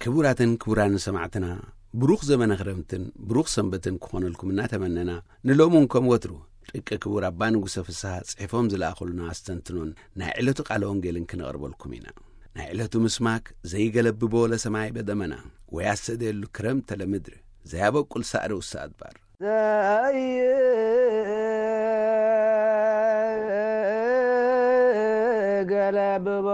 ክቡራትን ክቡራን ሰማዕትና፣ ብሩኽ ዘመነ ክረምትን ብሩኽ ሰንበትን ክኾነልኩም እናተመነና፣ ንሎሚ እውን ከም ወትሩ ደቂ ክቡር ኣባ ንጉሰ ፍስሃ ጽሒፎም ዝለኣኹልና ኣስተንትኖን ናይ ዕለቱ ቃለ ወንጌልን ክነቕርበልኩም ኢና። ናይ ዕለቱ ምስማክ ዘይገለብቦ ለሰማይ በደመና ወያሰደሉ ክረምተ ለምድር ዘያበቁል ሳዕሪ ውሳ ኣድባር። ዘይገለብቦ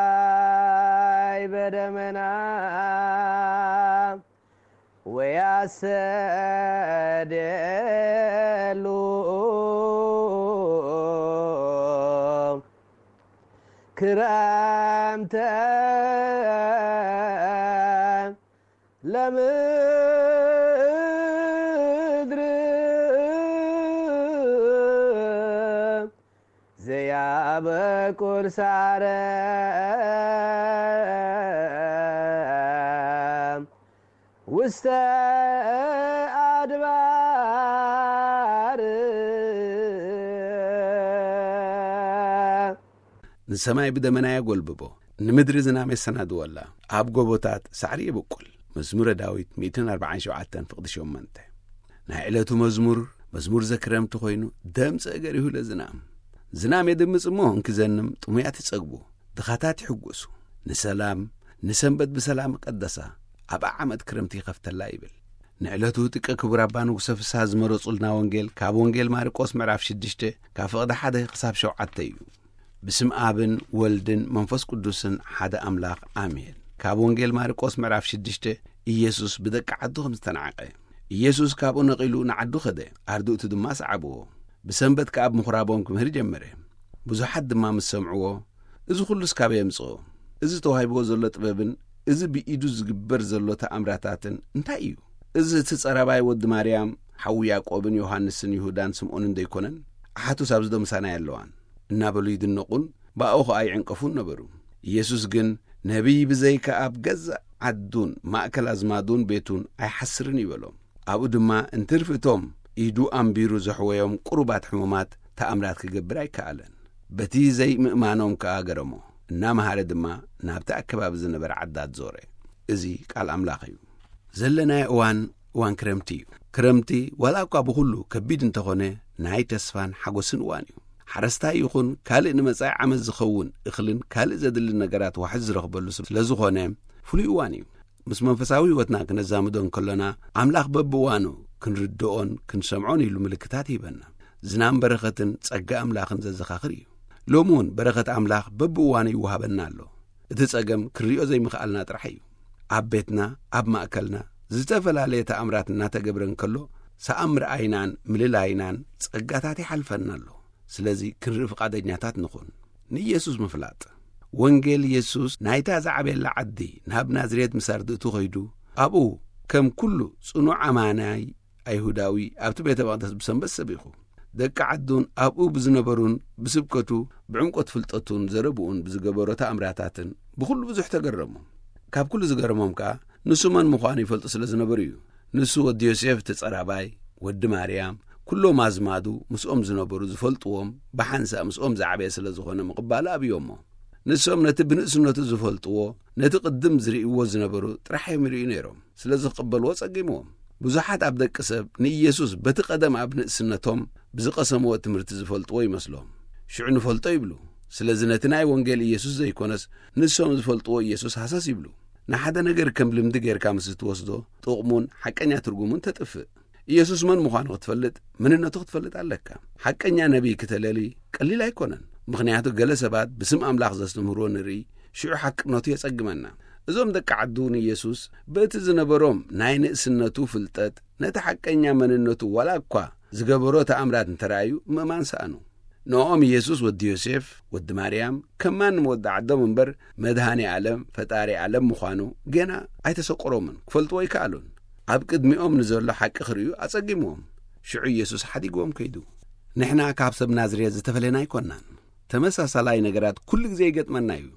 ለሰማይ በደመና ወያሰደሉ ክረምተ ለምድር ዘያበቁል ሳረ ውስተ ኣድባር። ንሰማይ ብደመና የጎልብቦ፣ ንምድሪ ዝናም የሰናድወላ፣ ኣብ ጎቦታት ሳዕሪ የብቁል። መዝሙረ ዳዊት ሚእትን ኣርባዓን ሸውዓተን ፍቕዲ ሸሞንተ። ናይ ዕለቱ መዝሙር፣ መዝሙር ዘክረምቲ ኮይኑ፣ ደምጽ እገሪሁ ለዝናም። ዝናም የድምጽ እሞ እንክዘንም ጥሙያት ይጸግቡ፣ ድኻታት ይሕጎሱ። ንሰላም፣ ንሰንበት ብሰላም ቀደሳ፣ ኣብ ዓመት ክረምቲ ይኸፍተላ ይብል። ንዕለቱ ጥቀ ክቡር ኣባ ንጉሰ ፍስሃ ዝመረጹልና ወንጌል ካብ ወንጌል ማርቆስ ምዕራፍ ሽዱሽተ ካብ ፍቕዲ ሓደ ክሳብ ሸውዓተ እዩ። ብስም ኣብን ወልድን መንፈስ ቅዱስን ሓደ ኣምላኽ ኣሜን። ካብ ወንጌል ማርቆስ ምዕራፍ ሽዱሽተ፣ ኢየሱስ ብደቂ ዓዱ ከም ዝተናዕቐ። ኢየሱስ ካብኡ ነቒሉ ንዓዱ ኸደ፣ ኣርድእቱ ድማ ሰዓብዎ። ብሰንበት ከኣ ኣብ ምኹራቦም ክምህር ጀመረ። ብዙሓት ድማ ምስ ሰምዕዎ፣ "እዚ ኹሉስ ካበይ የምጽኦ? እዚ ተዋሂብዎ ዘሎ ጥበብን እዚ ብኢዱ ዝግበር ዘሎ ተኣምራታትን እንታይ እዩ? እዚ እቲ ጸራባይ ወዲ ማርያም፣ ሓዉ ያዕቆብን ዮሃንስን ይሁዳን ስምዖንን ደይኮነን? ኣሓቱስ ኣብዚ ዶ ምሳና የለዋን?" እናበሉ ይድነቑን ብኣኡ ኸኣ ይዕንቀፉን ነበሩ። ኢየሱስ ግን፣ "ነቢይ ብዘይካ ኣብ ገዛእ ዓዱን ማእከል ኣዝማዱን ቤቱን ኣይሓስርን" ይበሎም። ኣብኡ ድማ እንትርፊ እቶም ኢዱ ኣንቢሩ ዘሕወዮም ቁሩባት ሕሙማት ተኣምራት ክገብር ኣይከኣለን። በቲ ዘይምእማኖም ከኣ ገረሞ። እናመሃረ ድማ ናብቲ ኣከባቢ ዝነበረ ዓዳት ዞረ። እዚ ቃል ኣምላኽ እዩ። ዘለናዮ እዋን፣ እዋን ክረምቲ እዩ። ክረምቲ ዋላ እኳ ብኹሉ ከቢድ እንተኾነ፣ ናይ ተስፋን ሓጎስን እዋን እዩ። ሓረስታይ ይኹን ካልእ ንመጻኢ ዓመት ዝኸውን እኽልን ካልእ ዘድሊ ነገራት ዋሕዚ ዝረኽበሉ ስለ ዝኾነ፣ ፍሉይ እዋን እዩ። ምስ መንፈሳዊ ህይወትና ክነዛምዶ እንከሎና፣ ኣምላኽ በብእዋኑ ክንርድኦን ክንሰምዖን ኢሉ ምልክታት ይህበና። ዝናም በረኸትን ጸጋ ኣምላኽን ዘዘኻኽር እዩ። ሎሚ እውን በረኸት ኣምላኽ በብእዋኑ ይወሃበና ኣሎ። እቲ ጸገም ክንሪኦ ዘይምኽኣልና ጥራሕ እዩ። ኣብ ቤትና፣ ኣብ ማእከልና ዝተፈላለየ ተኣምራት እናተገብረ እንከሎ፣ ሰኣን ምርኣይናን ምልላይናን ጸጋታት ይሓልፈና ኣሎ። ስለዚ ክንርኢ ፍቓደኛታት ንኹን። ንኢየሱስ ምፍላጥ። ወንጌል ኢየሱስ ናይታ ዝዓበየላ ዓዲ ናብ ናዝሬት ምስ ኣርድእቱ ኸይዱ፣ ኣብኡ ከም ኩሉ ጽኑዕ ኣማናይ ኣይሁዳዊ ኣብቲ ቤተ መቕደስ ብሰንበት ሰቢኹ። ደቂ ዓዱን ኣብኡ ብዝነበሩን ብስብከቱ ብዕምቆት ፍልጠቱን ዘረብኡን ብዝገበሮ ተኣምራታትን ብኹሉ ብዙሕ ተገረሙ። ካብ ኩሉ ዝገረሞም ከኣ ንሱ መን ምዃኑ ይፈልጡ ስለ ዝነበሩ እዩ። ንሱ ወዲ ዮሴፍ እቲ ጸራባይ፣ ወዲ ማርያም፣ ኩሎም ኣዝማዱ ምስኦም ዝነበሩ ዝፈልጥዎም ብሓንሳእ ምስኦም ዝዓበየ ስለ ዝኾነ ምቕባሉ ኣብዮሞ። ንሶም ነቲ ብንእስነቱ ዝፈልጥዎ፣ ነቲ ቅድም ዝርእይዎ ዝነበሩ ጥራሕ እዮም ይርእዩ ነይሮም። ስለዚ ክቕበልዎ ጸጊምዎም። ብዙሓት ኣብ ደቂ ሰብ ንኢየሱስ በቲ ቀደም ኣብ ንእስነቶም ብዝቐሰምዎ ትምህርቲ ዝፈልጥዎ ይመስሎም። ሽዑ ንፈልጦ ይብሉ። ስለዚ ነቲ ናይ ወንጌል ኢየሱስ ዘይኮነስ ንሶም ዝፈልጥዎ ኢየሱስ ሃሰስ ይብሉ። ንሓደ ነገር ከም ልምዲ ጌርካ ምስ እትወስዶ፣ ጥቕሙን ሓቀኛ ትርጉሙን ተጥፍእ። ኢየሱስ መን ምዃኑ ክትፈልጥ፣ መንነቱ ክትፈልጥ ኣለካ። ሓቀኛ ነቢይ ክተለሊ ቀሊል ኣይኮነን። ምኽንያቱ ገለ ሰባት ብስም ኣምላኽ ዘስተምህርዎ ንርኢ፣ ሽዑ ሓቅነቱ የጸግመና። እዞም ደቂ ዓዱ ንኢየሱስ በቲ ዝነበሮም ናይ ንእስነቱ ፍልጠት፣ ነቲ ሓቀኛ መንነቱ ዋላ እኳ ዝገበሮ ተኣምራት እንተረኣዩ ምእማን ሰኣኑ። ንኦም ኢየሱስ ወዲ ዮሴፍ፣ ወዲ ማርያም፣ ከም ማንም ወዲ ዓዶም እምበር መድሃኔ ዓለም፣ ፈጣሪ ዓለም ምዃኑ ገና ኣይተሰቆሮምን፣ ክፈልጥዎ ኣይከኣሉን። ኣብ ቅድሚኦም ንዘሎ ሓቂ ክርእዩ ኣጸጊምዎም። ሽዑ ኢየሱስ ሓዲግዎም ከይዱ። ንሕና ካብ ሰብ ናዝሬት ዝተፈለና ኣይኮናን። ተመሳሳላይ ነገራት ኩሉ ግዜ ይገጥመና እዩ።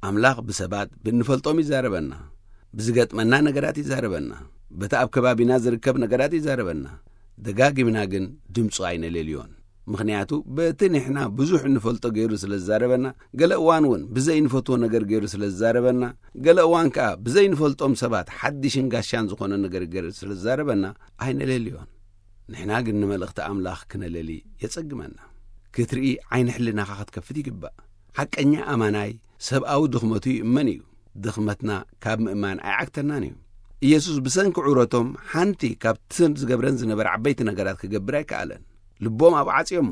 ኣምላኽ ብሰባት ብእንፈልጦም ይዛረበና። ብዝገጥመና ነገራት ይዛረበና። በቲ ኣብ ከባቢና ዝርከብ ነገራት ይዛረበና። ደጋጊምና ግን ድምፁ ኣይነለልዮን። ምኽንያቱ በቲ ንሕና ብዙሕ እንፈልጦ ገይሩ ስለ ዝዛረበና፣ ገለ እዋን እውን ብዘይንፈትዎ ነገር ገይሩ ስለ ዝዛረበና፣ ገለ እዋን ከኣ ብዘይንፈልጦም ሰባት ሓድሽን ጋሻን ዝኾነ ነገር ገይሩ ስለ ዝዛረበና ኣይነለልዮን። ንሕና ግን ንመልእኽቲ ኣምላኽ ክነለሊ የጸግመና። ክትርኢ ዓይኒ ሕልናኻ ክትከፍት ይግባእ። ሓቀኛ ኣማናይ ሰብኣዊ ድኽመቱ ይእመን እዩ። ድኽመትና ካብ ምእማን ኣይዓግተናን እዩ። ኢየሱስ ብሰንኪ ዑረቶም ሓንቲ ካብተን ዝገብረን ዝነበረ ዓበይቲ ነገራት ክገብር ኣይከኣለን። ልቦም ኣብኡ ዓጽዮሞ።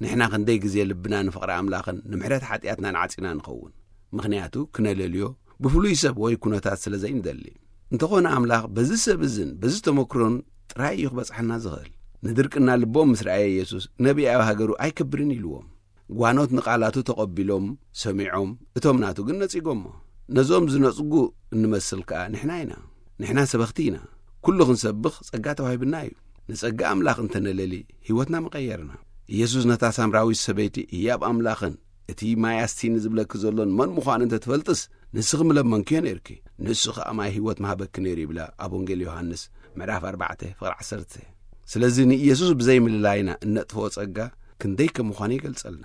ንሕና ክንደይ ግዜ ልብና ንፍቕሪ ኣምላኽን ንምሕረት ሓጢኣትናን ዓጺና ንኸውን? ምኽንያቱ ክነለልዮ ብፍሉይ ሰብ ወይ ኩነታት ስለ ዘይንደሊ። እንተኾነ ኣምላኽ በዚ ሰብ እዝን በዚ ተመክሮን ጥራይ እዩ ክበጽሓና ዝኽእል። ንድርቅና ልቦም ምስ ረኣየ ኢየሱስ ነቢይ ኣብ ሃገሩ ኣይከብርን ኢልዎም። ጓኖት ንቓላቱ ተቐቢሎም ሰሚዖም፣ እቶም ናቱ ግን ነጺጎሞ። ነዞም ዝነጽጉ እንመስል ከኣ ንሕና ኢና። ንሕና ሰበኽቲ ኢና። ኩሉ ክንሰብኽ ጸጋ ተዋሂብና እዩ። ንጸጋ ኣምላኽ እንተነለሊ ህይወትና ምቐየርና። ኢየሱስ ነታ ሳምራዊት ሰበይቲ ህያብ ኣምላኽን እቲ ማይ ኣስቲኒ ዝብለኪ ዘሎን መን ምዃኑ እንተ ትፈልጥስ ንስኺ ምለመንክዮ ነይርኪ፣ ንሱ ኸኣ ማይ ህይወት ምሃበኪ ነይሩ ይብላ ኣብ ወንጌል ዮሃንስ ምዕራፍ ኣርባዕተ ፍቕሪ ዓሰርተ። ስለዚ ንኢየሱስ ብዘይምልላይና እነጥፍኦ ጸጋ ክንደይ ከም ምዃኑ ይገልጸልና።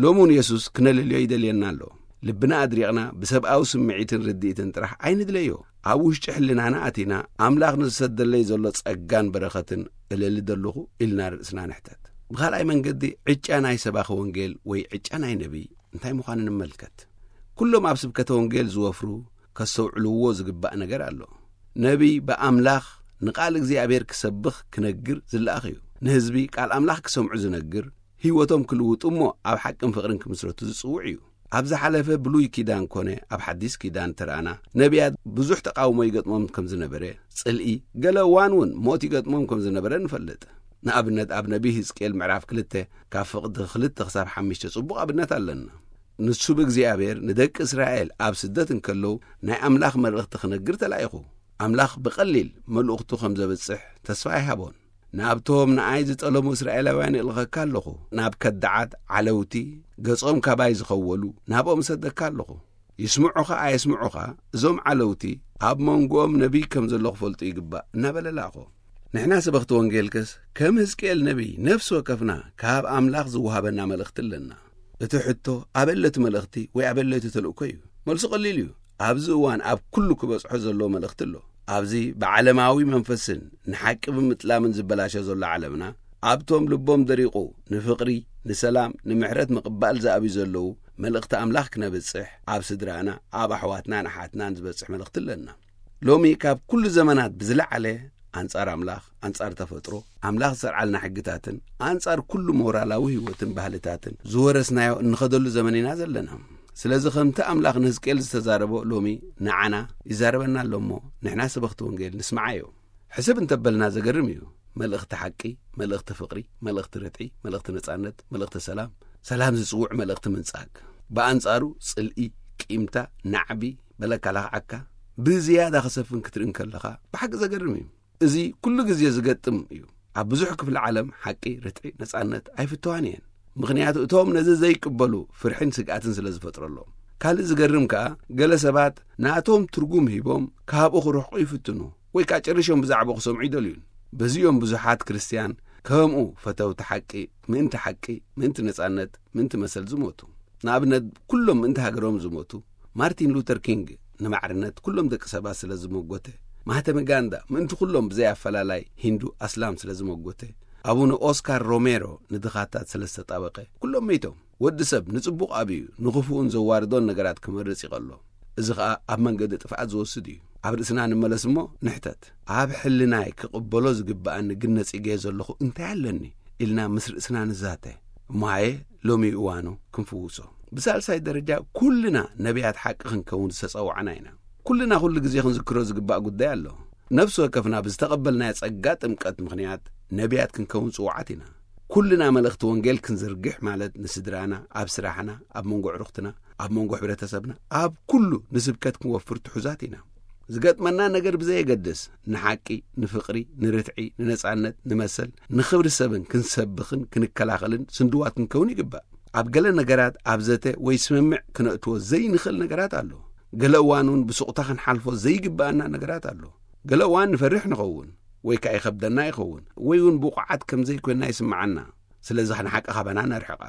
ሎሚ እውን የሱስ ክነልልዮ ይደልየና ኣሎ። ልብና ኣድሪቕና ብሰብኣዊ ስምዒትን ርድኢትን ጥራሕ ኣይንድለዮ። ኣብ ውሽጢ ሕልናና ኣቲና ኣምላኽ ንዝሰደለይ ዘሎ ጸጋን በረኸትን እለሊ ደለኹ ኢልና ርእስና ንሕተት። ብኻልኣይ መንገዲ ዕጫ ናይ ሰባኺ ወንጌል ወይ ዕጫ ናይ ነቢይ እንታይ ምዃኑ ንመልከት። ኩሎም ኣብ ስብከተ ወንጌል ዝወፍሩ ከስተውዕልዎ ዝግባእ ነገር ኣሎ። ነቢይ ብኣምላኽ ንቓል እግዚኣብሔር ክሰብኽ ክነግር ዝለኣኽ እዩ። ንህዝቢ ቃል ኣምላኽ ክሰምዑ ዝነግር፣ ህይወቶም ክልውጡ እሞ ኣብ ሓቅን ፍቕርን ክምስረቱ ዝጽውዕ እዩ። ኣብ ዝሓለፈ ብሉይ ኪዳን ኮነ ኣብ ሓዲስ ኪዳን ተረኣና ነቢያት ብዙሕ ተቃውሞ ይገጥሞም ከም ዝነበረ፣ ጽልኢ፣ ገለ እዋን እውን ሞት ይገጥሞም ከም ዝነበረ ንፈልጥ። ንኣብነት ኣብ ነቢይ ህዝቅኤል ምዕራፍ ክልተ ካብ ፍቕዲ ክልተ ክሳብ ሓሙሽተ ጽቡቕ ኣብነት ኣለና። ንሱ ብእግዚኣብሔር ንደቂ እስራኤል ኣብ ስደት እንከለዉ ናይ ኣምላኽ መልእኽቲ ክነግር ተላኢኹ። ኣምላኽ ብቐሊል መልእኽቱ ከም ዘብጽሕ ተስፋ ኣይሃቦን። ናብቶም ንኣይ ዝጠለሙ እስራኤላውያን ይልኸካ ኣለኹ። ናብ ከዳዓት ዓለውቲ፣ ገጾም ካባይ ዝኸወሉ፣ ናብኦም እሰደካ ኣለኹ። ይስምዑኻ ኣየስምዑኻ፣ እዞም ዓለውቲ ኣብ መንጎኦም ነቢይ ከም ዘሎ ክፈልጡ ይግባእ እናበለ ለኣኾ። ንሕና ሰበኽቲ ወንጌልከስ ከም ህዝቅኤል ነቢይ ነፍሲ ወከፍና ካብ ኣምላኽ ዝወሃበና መልእኽቲ ኣለና። እቲ ሕቶ ኣበለቲ መልእኽቲ ወይ ኣበለቲ ተልእኮ እዩ። መልሱ ቀሊል እዩ። ኣብዚ እዋን ኣብ ኩሉ ክበጽሖ ዘለዎ መልእኽቲ ኣሎ። ኣብዚ ብዓለማዊ መንፈስን ንሓቂ ብምጥላምን ዝበላሸ ዘሎ ዓለምና፣ ኣብቶም ልቦም ደሪቑ ንፍቕሪ፣ ንሰላም፣ ንምሕረት ምቕባል ዝኣብዩ ዘለዉ መልእኽቲ ኣምላኽ ክነብጽሕ፣ ኣብ ስድራና፣ ኣብ ኣሕዋትናን ኣሓትናን ዝበጽሕ መልእኽቲ ኣለና። ሎሚ ካብ ኩሉ ዘመናት ብዝለዓለ ኣንጻር ኣምላኽ፣ ኣንጻር ተፈጥሮ፣ ኣምላኽ ዝሰርዓልና ሕግታትን ኣንጻር ኩሉ ሞራላዊ ህይወትን ባህልታትን ዝወረስናዮ እንኸደሉ ዘመን ኢና ዘለና። ስለዚ ከምቲ ኣምላኽ ንህዝቅኤል ዝተዛረቦ ሎሚ ንዓና ይዛረበና ኣሎ እሞ ንሕና ሰበኽቲ ወንጌል ንስምዓዮ። ሕስብ እንተበልና ዘገርም እዩ። መልእኽቲ ሓቂ፣ መልእኽቲ ፍቕሪ፣ መልእኽቲ ርትዒ፣ መልእኽቲ ነጻነት፣ መልእኽቲ ሰላም፣ ሰላም ዝጽውዕ መልእኽቲ ምንጻግ። ብኣንጻሩ ጽልኢ፣ ቂምታ፣ ናዕቢ፣ በለካ ለኽዓካ ብዝያዳ ክሰፍን ክትርኢ እንከለኻ ብሓቂ ዘገርም እዩ። እዚ ኩሉ ግዜ ዝገጥም እዩ። ኣብ ብዙሕ ክፍሊ ዓለም ሓቂ፣ ርትዒ፣ ነጻነት ኣይፍተዋን እየን። ምኽንያቱ እቶም ነዚ ዘይቅበሉ ፍርሕን ስግኣትን ስለ ዝፈጥረሎም። ካልእ ዝገርም ከኣ ገለ ሰባት ናቶም ትርጉም ሂቦም ካብኡ ክርሕቁ ይፍትኑ ወይ ከኣ ጨሪሾም ብዛዕባኡ ክሰምዑ ይደልዩን። በዚ እዮም ብዙሓት ክርስትያን ከምኡ ፈተውቲ ሓቂ፣ ምእንቲ ሓቂ፣ ምእንቲ ነጻነት፣ ምእንቲ መሰል ዝሞቱ። ንኣብነት ኩሎም ምእንቲ ሃገሮም ዝሞቱ ማርቲን ሉተር ኪንግ ንማዕርነት ኩሎም ደቂ ሰባት ስለ ዝመጎተ፣ ማህተመ ጋንዳ ምእንቲ ኩሎም ብዘይ ኣፈላላይ ሂንዱ ኣስላም ስለ ዝመጎተ፣ ኣቡነ ኦስካር ሮሜሮ ንድኻታት ስለ ዝተጣበቐ፣ ኩሎም መይቶም። ወዲ ሰብ ንጽቡቕ ኣብዩ ንኽፉኡን ዘዋርዶን ነገራት ክመርጽ ይቐሎ። እዚ ኸኣ ኣብ መንገዲ ጥፍኣት ዝወስድ እዩ። ኣብ ርእስና ንመለስ እሞ ንሕተት። ኣብ ሕልናይ ክቕበሎ ዝግብኣኒ ግን ነጺገዮ ዘለኹ እንታይ ኣለኒ? ኢልና ምስ ርእስና ንዛተ። እሞ ሃየ ሎሚ እዋኑ ክንፍውሶ። ብሳልሳይ ደረጃ ኩልና ነቢያት ሓቂ ክንከውን ዝተጸዋዕና ኢና። ኩልና ኩሉ ግዜ ክንዝክሮ ዝግባእ ጉዳይ ኣሎ። ነፍሲ ወከፍና ብዝተቐበልናዮ ጸጋ ጥምቀት ምኽንያት ነቢያት ክንከውን ጽዋዓት ኢና። ኩልና መልእኽቲ ወንጌል ክንዝርግሕ ማለት ንስድራና፣ ኣብ ስራሕና፣ ኣብ መንጎ ኣዕሩኽትና፣ ኣብ መንጎ ሕብረተሰብና፣ ኣብ ኩሉ ንስብከት ክንወፍር ትሑዛት ኢና። ዝገጥመና ነገር ብዘየገድስ ንሓቂ፣ ንፍቕሪ፣ ንርትዒ፣ ንነጻነት፣ ንመሰል፣ ንኽብሪ ሰብን ክንሰብኽን ክንከላኸልን ስንድዋት ክንከውን ይግባእ። ኣብ ገለ ነገራት ኣብ ዘተ ወይ ስምምዕ ክነእትዎ ዘይንኽእል ነገራት ኣሎ። ገለ እዋን እውን ብሱቕታ ክንሓልፎ ዘይግብኣና ነገራት ኣሎ። ገለ እዋን ንፈርሕ ንኸውን ወይ ከኣ ይኸብደና ይኸውን ወይ እውን ብቑዓት ከም ዘይኮንና ይስምዓና። ስለዚ ንሓቂ ካባና ነርሕቓ።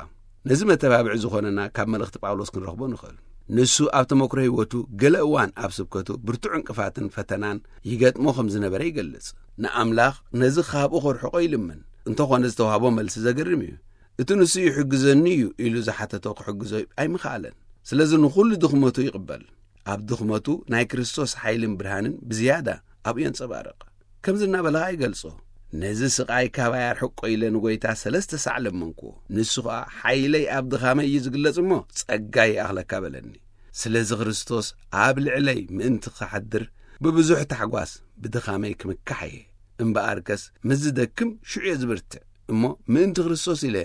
ነዚ መተባብዒ ዝኾነና ካብ መልእኽቲ ጳውሎስ ክንረኽቦ ንኽእል። ንሱ ኣብ ተመክሮ ህይወቱ ገለ እዋን ኣብ ስብከቱ ብርቱዕ ዕንቅፋትን ፈተናን ይገጥሞ ከም ዝነበረ ይገልጽ። ንኣምላኽ ነዚ ካብኡ ከርሕቆ ይልምን። እንተኾነ ዝተዋህቦ መልሲ ዘገርም እዩ። እቲ ንሱ ይሕግዘኒ እዩ ኢሉ ዝሓተቶ ክሕግዞ ኣይምኽኣለን። ስለዚ ንኹሉ ድኽመቱ ይቕበል። ኣብ ድኽመቱ ናይ ክርስቶስ ሓይልን ብርሃንን ብዝያዳ ኣብኡ የንጸባርቕ። ከምዚ እናበለ ኸኣ ይገልጾ፣ ነዚ ስቓይ ካባይ ኣርሕቆ ኢለ ንጎይታ ሰለስተ ሳዕ ለመንኩዎ። ንሱ ኸኣ ሓይለይ ኣብ ድኻመይ እዩ ዝግለጽ እሞ ጸጋይ ይኣኽለካ በለኒ። ስለዚ ክርስቶስ ኣብ ልዕለይ ምእንቲ ክሓድር ብብዙሕ ታሕጓስ ብድኻመይ ክምካሕ እየ። እምበኣርከስ ምስ ዝደክም ሽዑ እየ ዝብርትዕ እሞ ምእንቲ ክርስቶስ ኢለ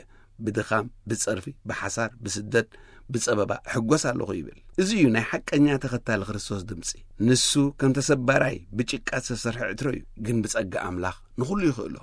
ብድኻም፣ ብጸርፊ፣ ብሓሳር፣ ብስደት፣ ብጸበባ እሕጎስ ኣለኹ ይብል። እዚ እዩ ናይ ሓቀኛ ተኸታሊ ክርስቶስ ድምጺ። ንሱ ከም ተሰባራይ ብጭቃ ዝተሰርሐ ዕትሮ እዩ፣ ግን ብጸጋ ኣምላኽ ንኹሉ ይኽእሎ።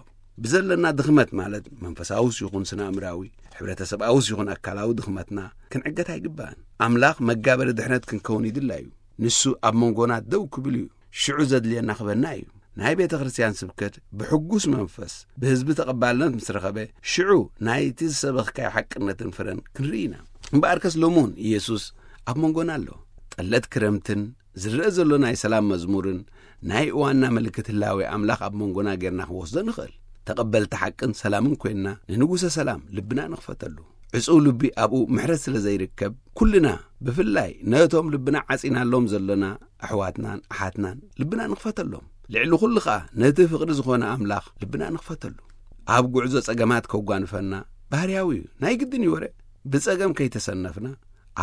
ብዘለና ድኽመት ማለት መንፈሳውስ ይኹን ስነ ኣእምራዊ፣ ሕብረተሰብኣውስ ይኹን ኣካላዊ ድኽመትና ክንዕገት ኣይግባእን። ኣምላኽ መጋበሪ ድሕነት ክንከውን ይድላ እዩ። ንሱ ኣብ መንጎና ደው ክብል እዩ። ሽዑ ዘድልየና ክበና እዩ። ናይ ቤተ ክርስቲያን ስብከት ብሕጉስ መንፈስ ብህዝቢ ተቐባልነት ምስ ረኸበ፣ ሽዑ ናይቲ ዝሰበኽካዮ ሓቅነትን ፍረን ክንርኢ ኢና። እምበኣርከስ ሎሚ እውን ኢየሱስ ኣብ መንጎና ኣሎ። ጠለት ክረምትን ዝረአ ዘሎ ናይ ሰላም መዝሙርን ናይ እዋንና ምልክት ህላዌ ኣምላኽ ኣብ መንጎና ጌርና ክንወስዶ ንኽእል። ተቐበልቲ ሓቅን ሰላምን ኮይንና ንንጉሰ ሰላም ልብና ንኽፈተሉ። ዕጹው ልቢ ኣብኡ ምሕረት ስለ ዘይርከብ፣ ኩልና ብፍላይ ነቶም ልብና ዓጺናሎም ዘሎና ኣሕዋትናን ኣሓትናን ልብና ንኽፈተሎም። ልዕሊ ኩሉ ኸኣ ነቲ ፍቕሪ ዝኾነ ኣምላኽ ልብና ንኽፈተሉ። ኣብ ጉዕዞ ጸገማት ከጓንፈና ባህርያዊ እዩ፣ ናይ ግድን እዩ ወረ። ብጸገም ከይተሰነፍና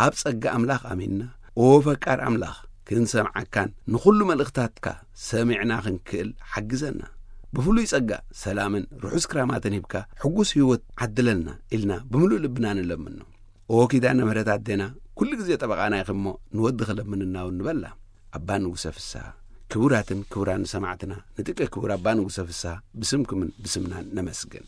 ኣብ ጸጋ ኣምላኽ ኣሚንና፣ ኦ ፈቃር ኣምላኽ፣ ክንሰምዓካን ንኹሉ መልእኽታትካ ሰሚዕና ክንክእል ሓግዘና። ብፍሉይ ጸጋ ሰላምን ርሑስ ክራማትን ሂብካ ሕጉስ ህይወት ዓድለልና ኢልና ብምሉእ ልብና ንለምኖ። ኦ ኪዳነ ምሕረት ኣዴና፣ ኩሉ ግዜ ጠበቓና ኢኺ እሞ ንወዲ ክለምንና እውን ንበላ። ኣባ ንጉሰ ፍስሃ። ክቡራትን ክቡራን ሰማዕትና፣ ንጥቀ ክቡር ኣባ ንጉሰ ፍስሃ ብስምኩምን ብስምናን ነመስግን።